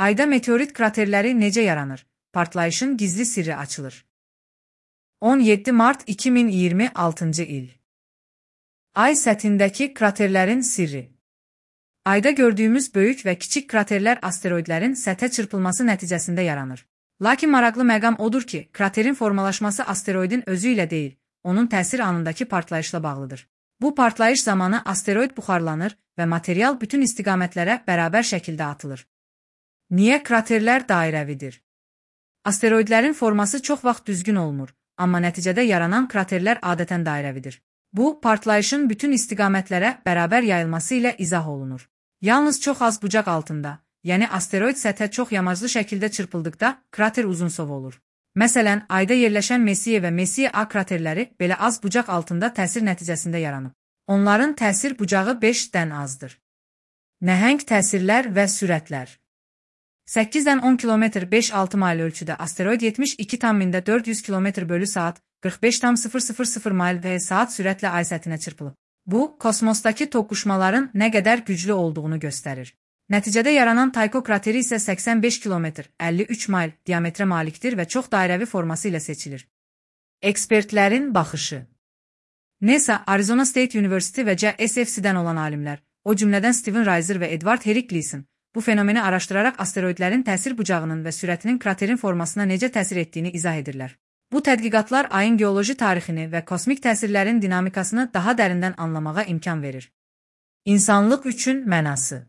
Ayda meteorit kraterləri necə yaranır? Partlayışın gizli sirri açılır. 17 Mart 2026 il. Ay səthindəki kraterlərin sirri. Ayda gördüyümüz böyük və kiçik kraterlər asteroidlərin səthə çırpılması nəticəsində yaranır. Lakin maraqlı məqam odur ki, kraterin formalaşması asteroidin özü ilə deyil, onun təsir anındakı partlayışla bağlıdır. Bu partlayış zamanı asteroid buxarlanır və material bütün istiqamətlərə bərabər şəkildə atılır. Niyə kraterlər dairəvidir? Asteroidlərin forması çox vaxt düzgün olmur, amma nəticədə yaranan kraterlər adətən dairəvidir. Bu, partlayışın bütün istiqamətlərə bərabər yayılması ilə izah olunur. Yalnız çox az bucaq altında, yəni asteroid səthə çox yamaclı şəkildə çırpıldıqda krater uzunsov olur. Məsələn, Ayda yerləşən Messier və Messier A kraterləri belə az bucaq altında təsir nəticəsində yaranıb. Onların təsir bucağı 5-dən azdır. Nəhəng təsirlər və sürətlər. 8-dən 10 km 5-6 mayl ölçüdə asteroid 72,400 km/saat 45,000 mayl və saat sürətlə ay səthinə çırpılıb. Bu, kosmosdakı toqquşmaların nə qədər güclü olduğunu göstərir. Nəticədə yaranan Tycho krateri isə 85 km 53 mayl diametrə malikdir və çox dairəvi forması ilə seçilir. Ekspertlərin baxışı. NASA, Arizona State University və JSFC-dən olan alimlər, o cümlədən Steven Reiser və Edward Herrick Gleason, bu fenomeni araşdıraraq asteroidlərin təsir bucağının və sürətinin kraterin formasına necə təsir etdiyini izah edirlər. Bu tədqiqatlar ayın geoloji tarixini və kosmik təsirlərin dinamikasını daha dərindən anlamağa imkan verir. İnsanlıq üçün mənası.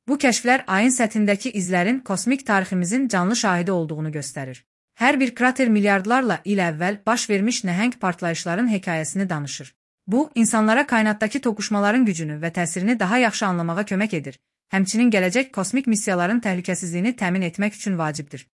Bu kəşflər ayın səthindəki izlərin kosmik tariximizin canlı şahidi olduğunu göstərir. Hər bir krater milyardlarla il əvvəl baş vermiş nəhəng partlayışların hekayəsini danışır. Bu, insanlara kainatdakı toqquşmaların gücünü və təsirini daha yaxşı anlamağa kömək edir, həmçinin gələcək kosmik missiyaların təhlükəsizliyini təmin etmək üçün vacibdir.